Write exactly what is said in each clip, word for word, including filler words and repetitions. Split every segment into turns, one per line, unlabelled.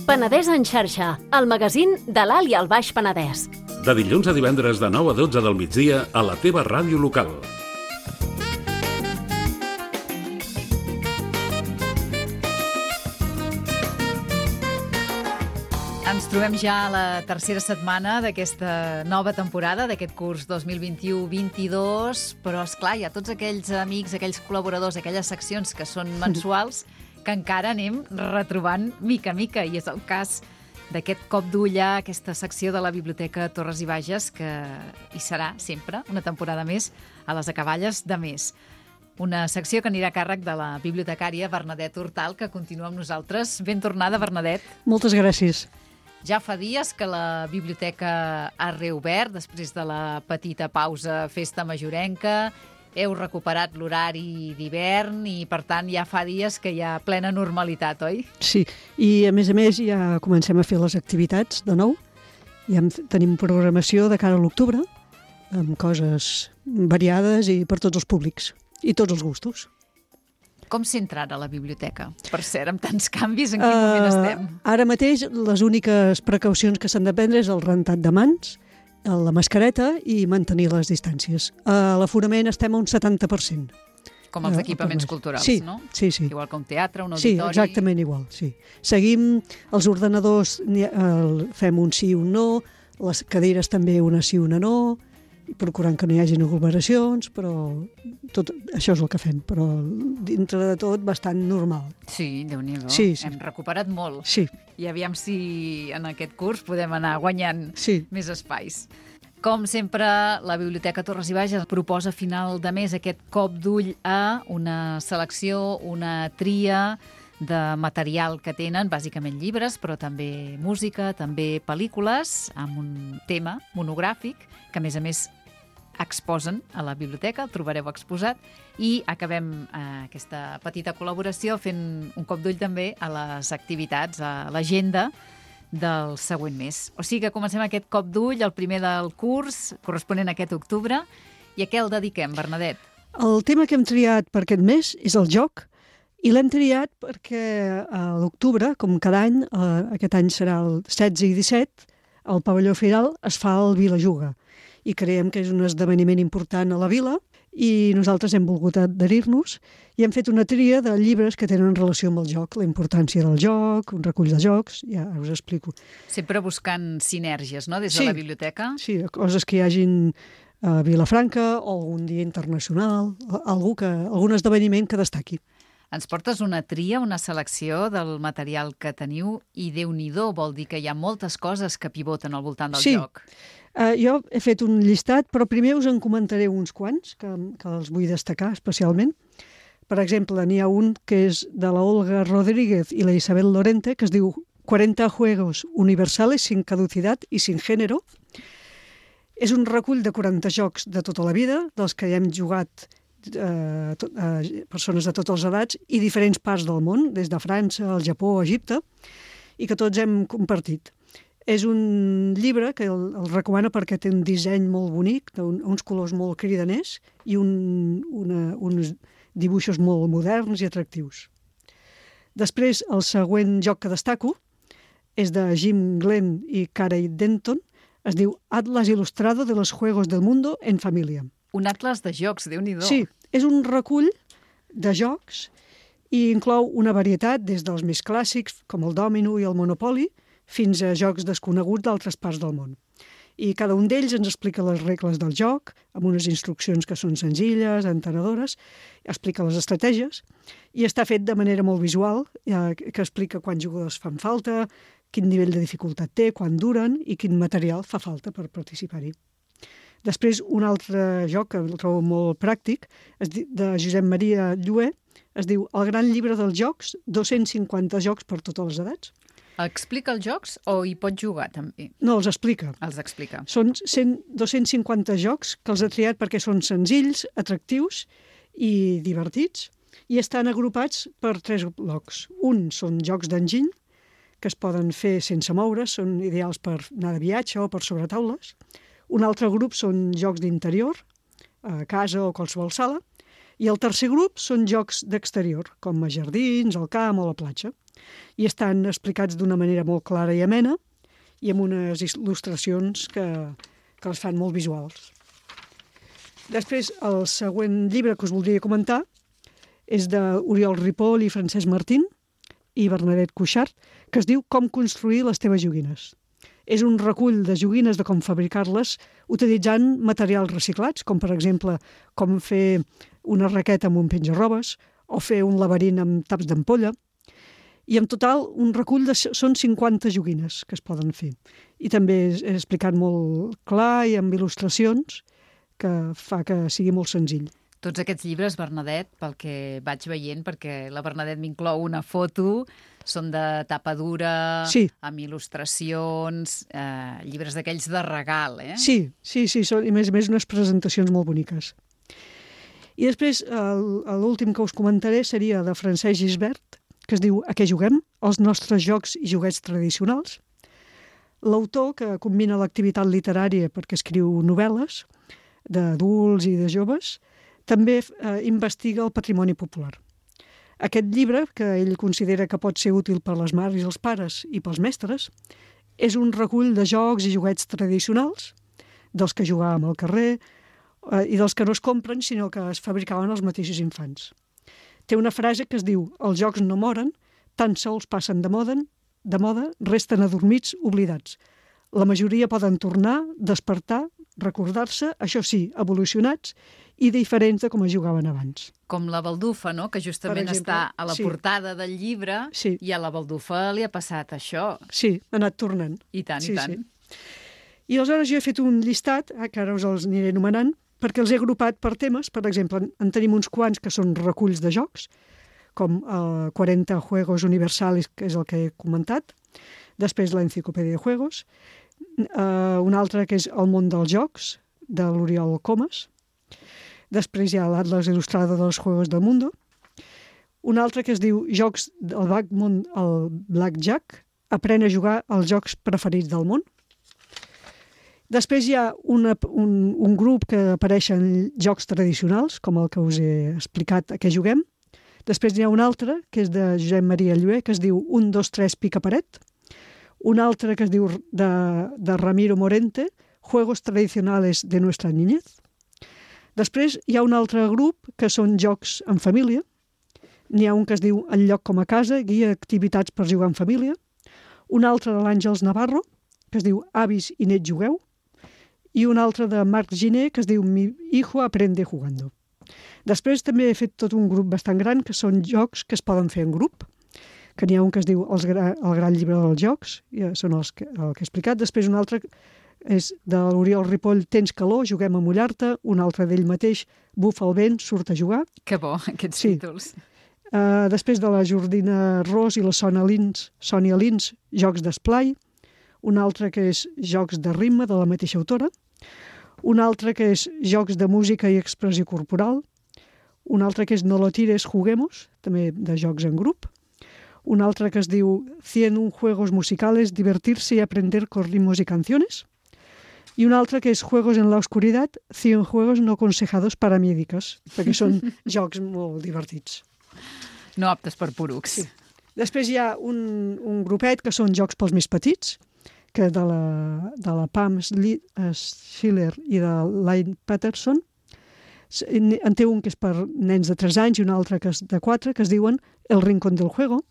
Penedès en xarxa, el magazín de l'Alt i el Baix Penedès.
De dilluns a divendres de nou a dotze del migdia a la teva ràdio local.
Ens trobem ja a la tercera setmana d'aquesta nova temporada, d'aquest curs dos mil vint-i-u vint-i-dos, però, esclar, hi ha tots aquells amics, aquells col·laboradors, aquelles seccions que són mensuals, que encara anem retrobant mica a mica, i és el cas d'aquest cop d'ull a aquesta secció de la Biblioteca Torres i Bages, que hi serà sempre, una temporada més, a les acaballes de mes. Una secció que anirà a càrrec de la bibliotecària Bernadette Hortal, que continua amb nosaltres. Ben tornada, Bernadette.
Moltes gràcies.
Ja fa dies que la biblioteca ha reobert, després de la petita pausa festa majorenca. Heu recuperat l'horari d'hivern i, per tant, ja fa dies que hi ha plena normalitat, oi?
Sí, i a més a més ja comencem a fer les activitats de nou. Ja tenim programació de cara a l'octubre, amb coses variades i per tots els públics i tots els gustos.
Com s'entra ara a la biblioteca? Per cert, amb tants canvis, en quin uh, moment estem?
Ara mateix, les úniques precaucions que s'han de prendre és el rentat de mans, la mascareta i mantenir les distàncies. A l'aforament estem a un setanta per cent.
Com els equipaments culturals,
sí,
no?
Sí, sí.
Igual que un teatre, un auditori...
Sí, exactament igual, sí. Seguim els ordenadors, fem un sí i un no, les cadires també una sí i una no, procurant que no hi hagi aglomeracions, però tot això és el que fem, però dintre de tot bastant normal.
Sí, Déu-n'hi-do.
Sí, sí.
Hem recuperat molt.
Sí.
I aviam si en aquest curs podem anar guanyant
sí.
més espais. Com sempre, la Biblioteca Torres i Bages proposa a final de mes aquest cop d'ull a una selecció, una tria de material que tenen, bàsicament llibres, però també música, també pel·lícules, amb un tema monogràfic, que a més a més exposen a la biblioteca, el trobareu exposat, i acabem eh, aquesta petita col·laboració fent un cop d'ull també a les activitats, a l'agenda del següent mes. O sigui que comencem aquest cop d'ull, el primer del curs, corresponent a aquest octubre, i a què el dediquem, Bernadette?
El tema que hem triat per aquest mes és el joc, i l'hem triat perquè a l'octubre, com cada any, eh, aquest any serà el setze i disset, al pavelló Firal es fa el Vila Juga, i creiem que és un esdeveniment important a la vila, i nosaltres hem volgut adherir-nos i hem fet una tria de llibres que tenen relació amb el joc, la importància del joc, un recull de jocs, ja us explico.
Sempre buscant sinergies, no?, des de
sí,
la biblioteca.
Sí, coses que hi hagin a Vilafranca o algun dia internacional, algú que, algun esdeveniment que destaqui.
Ens portes una tria, una selecció del material que teniu i Déu-n'hi-do, vol dir que hi ha moltes coses que pivoten al voltant del
sí.
joc.
Uh, jo he fet un llistat, però primer us en comentaré uns quants, que, que els vull destacar especialment. Per exemple, n'hi ha un que és de la Olga Rodríguez i la Isabel Lorente, que es diu cuarenta juegos universales sin caducidad y sin género. És un recull de quaranta jocs de tota la vida, dels que hi hem jugat eh, to, eh, persones de totes les edats i diferents parts del món, des de França, el Japó, Egipte, i que tots hem compartit. És un llibre que el, el recomano perquè té un disseny molt bonic, un, uns colors molt cridaners i un, una, uns dibuixos molt moderns i atractius. Després, el següent joc que destaco és de Jim Glenn i Carey Denton, es diu Atlas Ilustrado de los Juegos del Mundo en Familia.
Un atlas de jocs, Déu-n'hi-do.
Sí, és un recull de jocs i inclou una varietat des dels més clàssics, com el dòmino i el monopoli, fins a jocs desconeguts d'altres parts del món. I cada un d'ells ens explica les regles del joc, amb unes instruccions que són senzilles, entenedores, explica les estratègies, i està fet de manera molt visual, eh, que explica quants jugadors fan falta, quin nivell de dificultat té, quan duren i quin material fa falta per participar-hi. Després, un altre joc que el trobo molt pràctic, de Josep Maria Llué, es diu El gran llibre dels jocs, dos-cents cinquanta jocs per totes les edats.
Explica els jocs o hi pot jugar també?
No, els explica.
Els explica.
Són cent, dos-cents cinquanta jocs que els ha triat perquè són senzills, atractius i divertits, i estan agrupats per tres blocs. Un són jocs d'enginy, que es poden fer sense moure's, són ideals per anar de viatge o per sobre taules. Un altre grup són jocs d'interior, a casa o qualsevol sala, i el tercer grup són jocs d'exterior, com a jardins, al camp o a la platja. i estan explicats d'una manera molt clara i amena i amb unes il·lustracions que, que les fan molt visuals. Després, el següent llibre que us voldria comentar és d'Oriol Ripoll i Francesc Martín i Bernadette Cuixart, que es diu Com construir les teves joguines. És un recull de joguines de com fabricar-les utilitzant materials reciclats, com per exemple com fer una raqueta amb un penja-robes o fer un laberint amb taps d'ampolla. I en total un recull de, són cinquanta joguines que es poden fer. I també és explicat molt clar i amb il·lustracions que fa que sigui molt senzill.
Tots aquests llibres, Bernadette, pel que vaig veient, perquè la Bernadette m'inclou una foto, són de tapa dura,
sí.
amb il·lustracions, eh, llibres d'aquells de regal, eh?
Sí, sí, sí, són, i a més a més unes presentacions molt boniques. I després, l'últim que us comentaré seria de Francesc Gisbert, que es diu A què juguem? Els nostres jocs i joguets tradicionals. L'autor, que combina l'activitat literària perquè escriu novel·les d'adults i de joves, també eh, investiga el patrimoni popular. Aquest llibre, que ell considera que pot ser útil per les mares i els pares i pels mestres, és un recull de jocs i joguets tradicionals, dels que jugàvem al carrer eh, i dels que no es compren, sinó que es fabricaven els mateixos infants. Té una frase que es diu «Els jocs no moren, tan sols passen de moda, de moda resten adormits, oblidats. La majoria poden tornar, despertar, recordar-se, això sí, evolucionats i diferents de com es jugaven abans».
Com la baldufa, no?, que justament exemple, està a la
sí.
portada del llibre
sí.
i a la baldufa li ha passat això.
Sí, ha anat tornant.
I tant,
sí,
i tant.
Sí. I aleshores jo he fet un llistat, que ara us els aniré anomenant, perquè els he agrupat per temes. Per exemple, en tenim uns quants que són reculls de jocs, com eh, quaranta juegos universals, que és el que he comentat. Després l'enciclopèdia de juegos. Uh, un altre que és El món dels jocs, de l'Oriol Comas. Després hi ha l'Atlas il·lustrado dels Juegos del Mundo. Un altre que es diu Jocs del Backmon, el Blackjack, aprèn a jugar als jocs preferits del món. Després hi ha una, un, un grup que apareixen jocs tradicionals, com el que us he explicat a què juguem. Després hi ha un altre, que és de Josep Maria Llué, que es diu un, dos, tres, pica paret. Un altre que es diu de, de Ramiro Morente, Juegos tradicionales de nuestra niñez. Després hi ha un altre grup que són jocs en família. N'hi ha un que es diu El lloc com a casa, guia d'activitats per jugar en família. Un altre de l'Àngels Navarro, que es diu Avis i nets jugueu. I un altre de Marc Giner, que es diu Mi hijo aprende jugando. Després també he fet tot un grup bastant gran, que són jocs que es poden fer en grup, que n'hi ha un que es diu Els gra El gran llibre dels jocs, ja són els que, el que he explicat. Després un altre és de l'Oriol Ripoll, Tens calor, juguem a mullar-te. Un altre d'ell mateix, Bufa el vent, surt a jugar.
Que bo, aquests
sí.
títols.
Uh, després de la Jordina Ros i la Sònia Lins, Sònia Lins, Jocs d'esplai. Un altre que és Jocs de ritme, de la mateixa autora. Un altre que és Jocs de música i expressió corporal. Un altre que és No lo tires, juguemos, també de jocs en grup. Un altre que es diu cien un juegos musicales, divertirse y aprender con ritmos y canciones. I un altre que és Juegos en la oscuridad, cien juegos no aconsejados para médicos, perquè són jocs molt divertits.
No aptes per porucs.
Sí. Després hi ha un, un grupet que són jocs pels més petits, que de la, de la Pam Schiller i de Lynn Patterson. En té un que és per nens de tres anys i un altre que és de quatre, que es diuen El rincón del juego.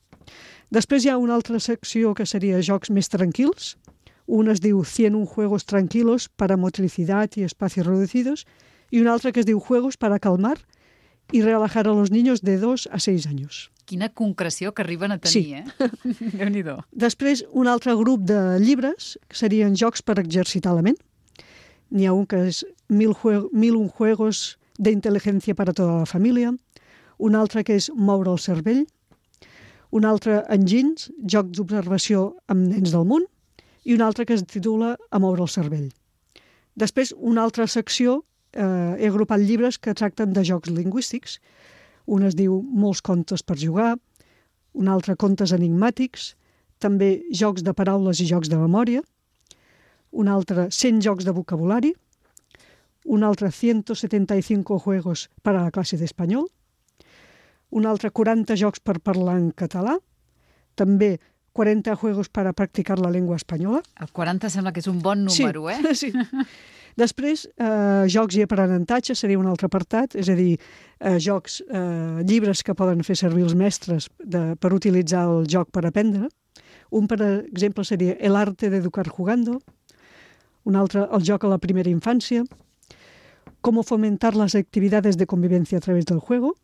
Després hi ha una altra secció que seria jocs més tranquils. Un es diu cien un juegos tranquilos para motricidad y espacios reducidos i un altre que es diu Juegos para calmar y relajar a los niños de dos a seis años.
Quina concreció que arriben a tenir,
sí.
eh? Déu-n'hi-do.
Després, un altre grup de llibres, que serien jocs per exercitar la ment. N'hi ha un que és Mil, jue mil un juegos de inteligencia para toda la família. Un altre que és Moure el cervell. Un altre, Engins, joc d'observació amb nens del món. I un altre que es titula A moure el cervell. Després, una altra secció, eh, he agrupat llibres que tracten de jocs lingüístics. Un es diu Molts contes per jugar, un altre Contes enigmàtics, també jocs de paraules i jocs de memòria, un altre cent jocs de vocabulari, un altre ciento setenta y cinco juegos para la clase d'espanyol, un altre quaranta jocs per parlar en català, també quaranta juegos para practicar la llengua espanyola.
El quaranta sembla que és un bon número,
sí,
eh?
Sí. Després, eh, jocs i aprenentatge seria un altre apartat, és a dir, eh, jocs, eh, llibres que poden fer servir els mestres de, per utilitzar el joc per aprendre. Un, per exemple, seria El arte de educar jugando. Un altre, el joc a la primera infància. Cómo fomentar las actividades de convivencia a través del juego.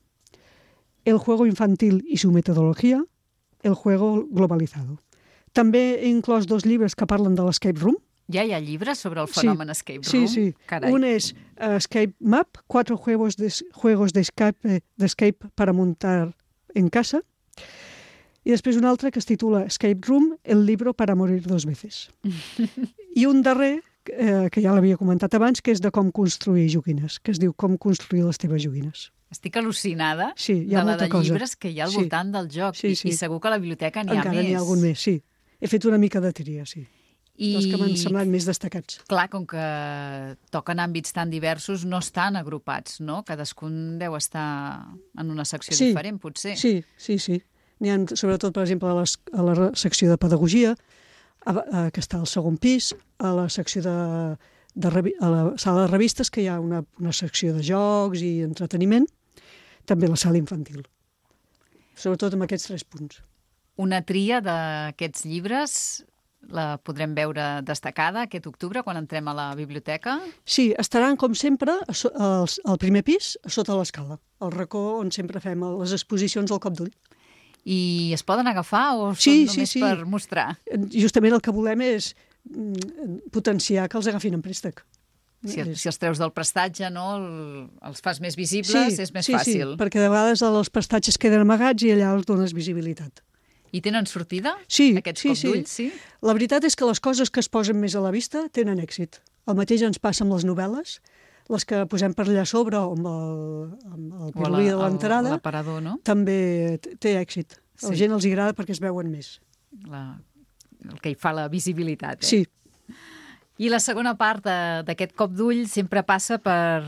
El juego infantil y su metodología. El juego globalizado. També he inclòs dos llibres que parlen de l'escape room.
Ja hi ha llibres sobre el fenomen
sí,
escape room?
Sí, sí.
Carai.
Un és uh, Escape Map, cuatro juegos de, juegos de escape, de escape para montar en casa. I després un altre que es titula Escape Room, el libro para morir dos veces. I un darrer, eh, que ja l'havia comentat abans, que és de com construir joguines, que es diu Com construir les teves joguines.
Estic al·lucinada
sí, hi ha
de la
molta
de
cosa.
llibres que hi ha al
sí.
voltant del joc.
Sí, sí.
I, I segur que a la biblioteca n'hi ha
Encara
més.
n'hi ha algun més, sí. He fet una mica de tria, sí.
I...
Els que m'han semblat més destacats.
Clar, com que toquen àmbits tan diversos, no estan agrupats, no? Cadascun deu estar en una secció
sí,
diferent, potser.
Sí, sí, sí. N'hi ha, sobretot, per exemple, a, les, a la secció de pedagogia, a, a, que està al segon pis, a la secció de, de a la sala de revistes, que hi ha una, una secció de jocs i entreteniment, també la sala infantil. Sobretot amb aquests tres punts.
Una tria d'aquests llibres la podrem veure destacada aquest octubre, quan entrem a la biblioteca?
Sí, estaran, com sempre, al, al primer pis, a sota l'escala, al racó on sempre fem les exposicions al cop d'ull.
I es poden agafar o
sí,
són només
sí, sí.
per mostrar?
Justament el que volem és potenciar que els agafin en préstec.
Si, si els treus del prestatge, no, el, els fas més visibles,
sí,
és més
sí,
fàcil.
Sí, perquè de vegades els prestatges queden amagats i allà els dones visibilitat.
I tenen sortida,
sí,
aquests
sí,
cop d'ull?
Sí.
Sí.
La veritat és que les coses que es posen més a la vista tenen èxit. El mateix ens passa amb les novel·les, les que posem per allà sobre o amb el, amb el pirulí de l'entrada,
l'aparador, no?
també té èxit. A la
sí.
gent els agrada perquè es veuen més.
La, el que hi fa la visibilitat. Eh?
Sí.
I la segona part d'aquest cop d'ull sempre passa per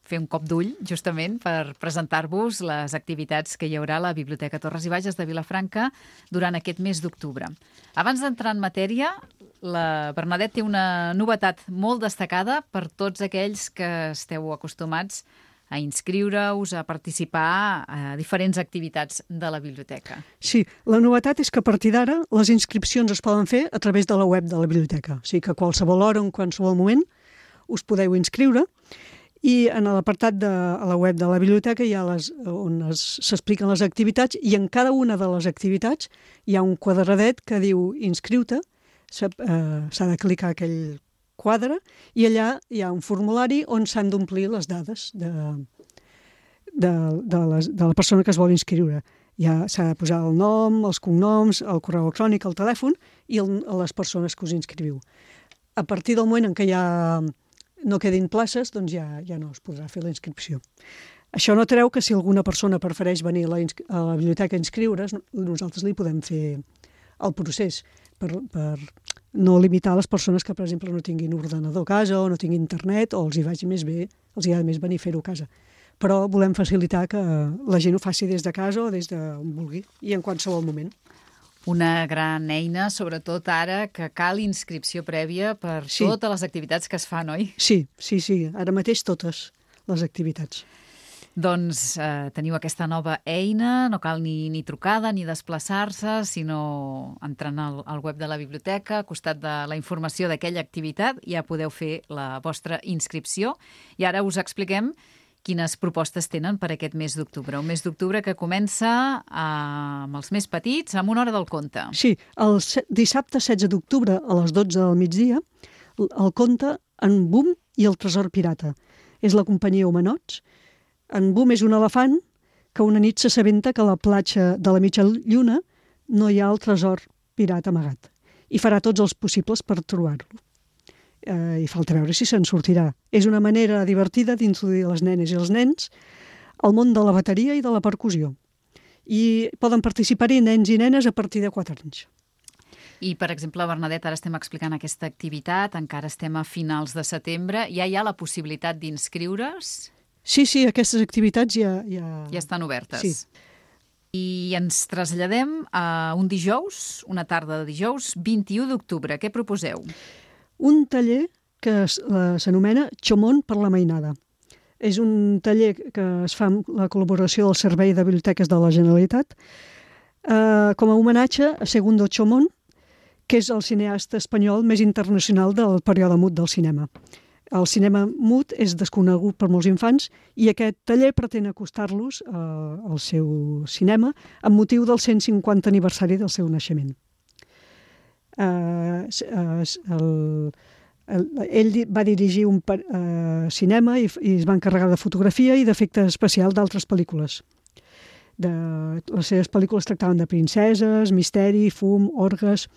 fer un cop d'ull, justament, per presentar-vos les activitats que hi haurà a la Biblioteca Torres i Bages de Vilafranca durant aquest mes d'octubre. Abans d'entrar en matèria, la Bernadette té una novetat molt destacada per tots aquells que esteu acostumats a inscriure-us, a participar a diferents activitats de la biblioteca.
Sí, la novetat és que a partir d'ara les inscripcions es poden fer a través de la web de la biblioteca. O sigui que a qualsevol hora, en qualsevol moment, us podeu inscriure. I en l'apartat de a la web de la biblioteca hi ha les, on s'expliquen les activitats i en cada una de les activitats hi ha un quadradet que diu inscriu-te, s'ha eh, de clicar aquell quadre i allà hi ha un formulari on s'han d'omplir les dades de, de, de, les, de la persona que es vol inscriure. Ja s'ha de posar el nom, els cognoms, el correu electrònic, el telèfon i el, les persones que us inscriviu. A partir del moment en què ja no quedin places, doncs ja, ja no es podrà fer la inscripció. Això no treu que si alguna persona prefereix venir a la, a la biblioteca a inscriure's, nosaltres li podem fer el procés per, per no limitar les persones que, per exemple, no tinguin ordenador a casa o no tinguin internet o els hi vagi més bé, els hi ha més venir a fer-ho a casa. Però volem facilitar que la gent ho faci des de casa o des d'on vulgui i en qualsevol moment.
Una gran eina, sobretot ara, que cal inscripció prèvia per
sí.
totes les activitats que es fan, oi?
Sí, sí, sí. Ara mateix totes les activitats.
Doncs eh, teniu aquesta nova eina, no cal ni, ni trucada ni desplaçar-se, sinó entrant al, al web de la biblioteca, al costat de la informació d'aquella activitat, ja podeu fer la vostra inscripció. I ara us expliquem quines propostes tenen per aquest mes d'octubre. Un mes d'octubre que comença amb els més petits, amb una hora del conte.
Sí, el dissabte setze d'octubre a les dotze del migdia, el conte En Boom i el tresor pirata. És la companyia Humanots. En Boom és un elefant que una nit s'assabenta que a la platja de la mitja lluna no hi ha el tresor pirata amagat i farà tots els possibles per trobar-lo. Eh, i falta veure si se'n sortirà. És una manera divertida d'introduir les nenes i els nens al món de la bateria i de la percussió. I poden participar-hi nens i nenes a partir de quatre anys.
I, per exemple, Bernadette, ara estem explicant aquesta activitat, encara estem a finals de setembre, ja hi ha la possibilitat d'inscriure's?
Sí, sí, aquestes activitats ja... Ja,
ja estan obertes.
Sí.
I ens traslladem a un dijous, una tarda de dijous, vint-i-u d'octubre. Què proposeu?
Un taller que es- eh, s'anomena Chomón per la mainada. És un taller que es fa amb la col·laboració del Servei de Biblioteques de la Generalitat eh, com a homenatge a Segundo Chomón, que és el cineasta espanyol més internacional del període mut del cinema. El cinema mut és desconegut per molts infants i aquest taller pretén acostar-los eh, al seu cinema amb motiu del cent cinquanta aniversari del seu naixement. Eh, s- eh, s- el, el, ell di- va dirigir un per- eh, cinema i, f- i es va encarregar de fotografia i d'efecte especial d'altres pel·lícules. De, les seves pel·lícules tractaven de princeses, misteri, fum, orgues.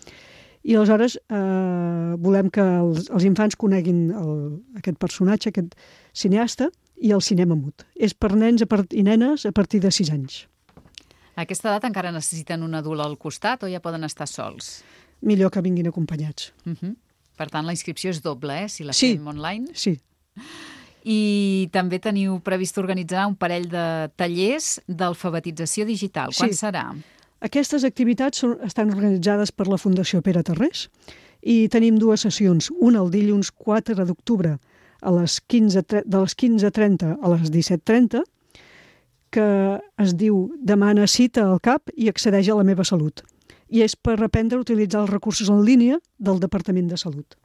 I aleshores eh, volem que els, els infants coneguin el, aquest personatge, aquest cineasta, i el cinema mut. És per nens a part, i nenes a partir de sis anys.
A aquesta edat encara necessiten un adult al costat o ja poden estar sols?
Millor que vinguin acompanyats.
Uh -huh. Per tant, la inscripció és doble, eh? Si la
Sí.
fem online.
Sí,
I també teniu previst organitzar un parell de tallers d'alfabetització digital. Quan
Sí.
serà?
aquestes activitats són, estan organitzades per la Fundació Pere Tarrés i tenim dues sessions, una el dilluns quatre d'octubre a les quinze, tre- de les quinze trenta a les disset trenta, que es diu Demana cita al CAP i accedeix a la meva salut. I és per aprendre a utilitzar els recursos en línia del Departament de Salut.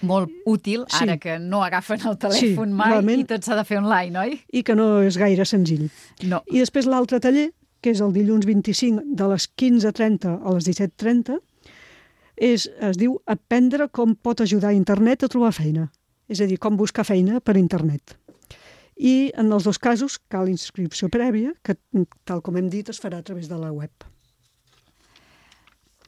Molt útil,
Sí.
ara que no agafen el telèfon
Sí,
mai
realment.
i tot s'ha de fer online, oi?
I que no és gaire senzill.
No.
I després l'altre taller, que és el dilluns vint-i-cinc de les quinze trenta a les disset trenta, és, es diu Aprendre com pot ajudar a internet a trobar feina. És a dir, com buscar feina per internet. I en els dos casos cal inscripció prèvia, que tal com hem dit es farà a través de la web.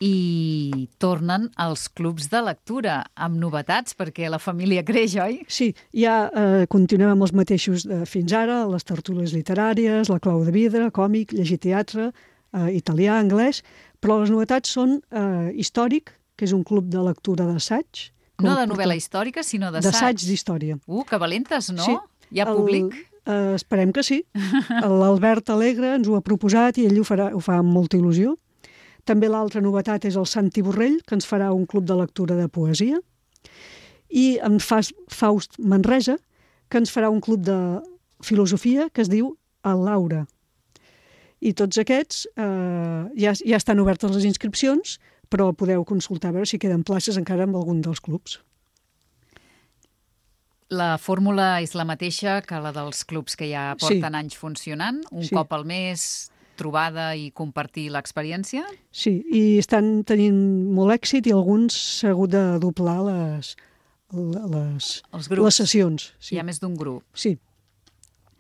I tornen als clubs de lectura amb novetats, perquè la família creix, oi?
Sí, ja eh, continuem amb els mateixos de fins ara, les tertúlies literàries, la clau de vidre, còmic, llegir teatre, eh, italià, anglès, però les novetats són eh, històric, que és un club de lectura d'assaig. que
No
el
de
porta-
novel·la històrica, sinó d'assaig.
D'assaig d'història.
Uh, que valentes, no?
Sí.
Hi ha
El-
públic?
Eh, esperem que sí. L'Albert Alegre ens ho ha proposat i ell ho, farà, ho fa amb molta il·lusió. També l'altra novetat és el Santi Borrell, que ens farà un club de lectura de poesia. I en Fas, Faust Manresa, que ens farà un club de filosofia que es diu El Laura. I tots aquests eh, ja, ja estan obertes les inscripcions, però podeu consultar a veure si queden places encara en algun dels clubs.
La fórmula és la mateixa que la dels clubs que ja porten
Sí.
anys funcionant? Un
Sí.
cop al mes, trobada i compartir l'experiència?
Sí, i estan tenint molt èxit i alguns s'ha hagut de doblar les, les,
Els grups.
les sessions. Sí.
Hi ha més d'un grup.
Sí.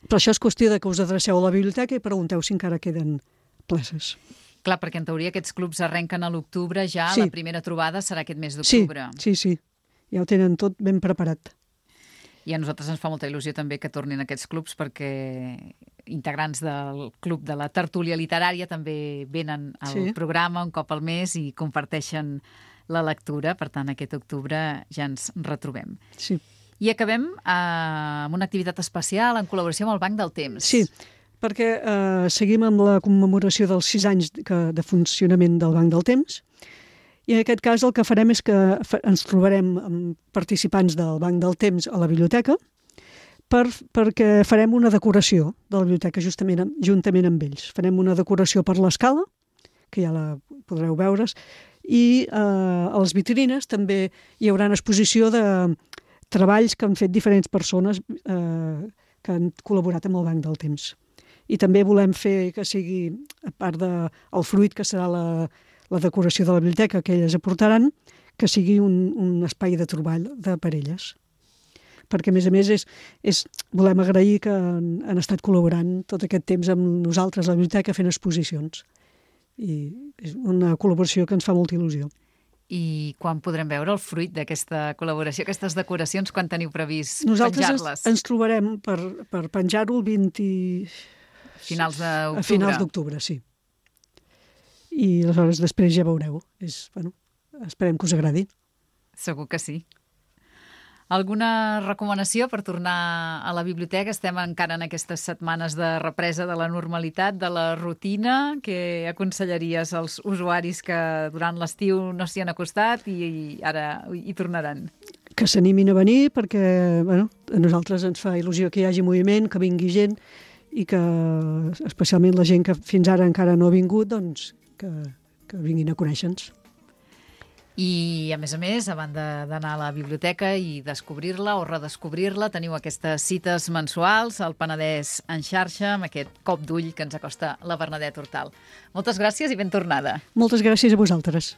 Però això és qüestió de que us adreceu a la biblioteca i pregunteu si encara queden places.
Clar, perquè en teoria aquests clubs arrenquen a l'octubre, ja
Sí.
la primera trobada serà aquest mes
Sí,
d'octubre.
sí, sí. Ja ho tenen tot ben preparat.
I a nosaltres ens fa molta il·lusió també que tornin aquests clubs, perquè integrants del club de la tertúlia literària també venen al
Sí.
programa un cop al mes i comparteixen la lectura. Per tant, aquest octubre ja ens retrobem.
Sí.
I acabem eh, amb una activitat especial en col·laboració amb el Banc del Temps.
Sí, perquè eh, seguim amb la commemoració dels sis anys que, de funcionament del Banc del Temps. I en aquest cas el que farem és que fa- ens trobarem amb participants del Banc del Temps a la biblioteca per, perquè farem una decoració de la biblioteca justament, amb- juntament amb ells. Farem una decoració per l'escala, que ja la podreu veure, i eh, a les vitrines també hi haurà una exposició de treballs que han fet diferents persones eh, que han col·laborat amb el Banc del Temps. I també volem fer que sigui, a part del de, fruit que serà la, la decoració de la biblioteca que elles aportaran, que sigui un, un espai de treball de parelles. Perquè, a més a més, és, és, volem agrair que han, han estat col·laborant tot aquest temps amb nosaltres a la biblioteca fent exposicions. I és una col·laboració que ens fa molta il·lusió.
I quan podrem veure el fruit d'aquesta col·laboració, aquestes decoracions, quan teniu previst
Nosaltres ens,
penjar-les?
ens trobarem per, per penjar-ho el vint...
Finals d'octubre.
A finals d'octubre, sí. I aleshores després ja veureu. És, bueno, esperem que us agradi.
Segur que sí. Alguna recomanació per tornar a la biblioteca? Estem encara en aquestes setmanes de represa de la normalitat, de la rutina. Què aconsellaries als usuaris que durant l'estiu no s'hi han acostat i ara hi tornaran?
Que s'animin a venir perquè bueno, a nosaltres ens fa il·lusió que hi hagi moviment, que vingui gent i que especialment la gent que fins ara encara no ha vingut, doncs que, que vinguin a conèixer-nos.
I, a més a més, a banda d'anar a la biblioteca i descobrir-la o redescobrir-la, teniu aquestes cites mensuals al Penedès en xarxa, amb aquest cop d'ull que ens acosta la Bernadette Hortal. Moltes gràcies i ben tornada.
Moltes gràcies a vosaltres.